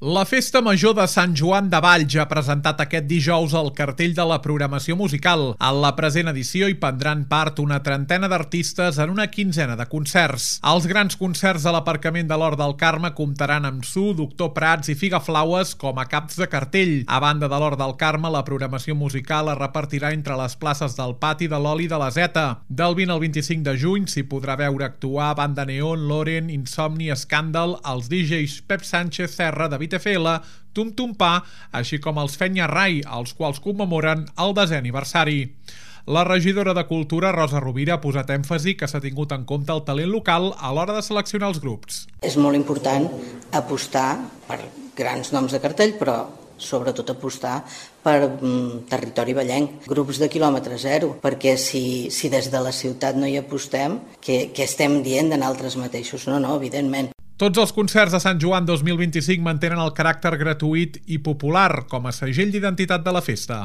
La Festa Major de Sant Joan de Valls ha presentat aquest dijous el cartell de la programació musical. En la present edició hi prendran part una trentena d'artistes en una quinzena de concerts. Els grans concerts de l'aparcament de l'Hort del Carme comptaran amb Su, Doctor Prats i Figaflaues com a caps de cartell. A banda de l'Hort del Carme, la programació musical es repartirà entre les places del Pati de l'Oli de la Zeta. Del 20 al 25 de juny s'hi podrà veure actuar Banda Neon, Loren, Insomni, Escàndal, els DJs Pep Sánchez Serra, David FL, Tum Tum Pa, així com els Fenya Rai, els quals commemoren el 10è aniversari. La regidora de Cultura, Rosa Rovira, ha posat èmfasi que s'ha tingut en compte el talent local a l'hora de seleccionar els grups. És molt important apostar per grans noms de cartell, però sobretot apostar per territori vallenc, grups de quilòmetre zero, perquè si des de la ciutat no hi apostem, què estem dient de nosaltres mateixos? No, evidentment. Tots els concerts de Sant Joan 2025 mantenen el caràcter gratuït i popular com a segell d'identitat de la festa.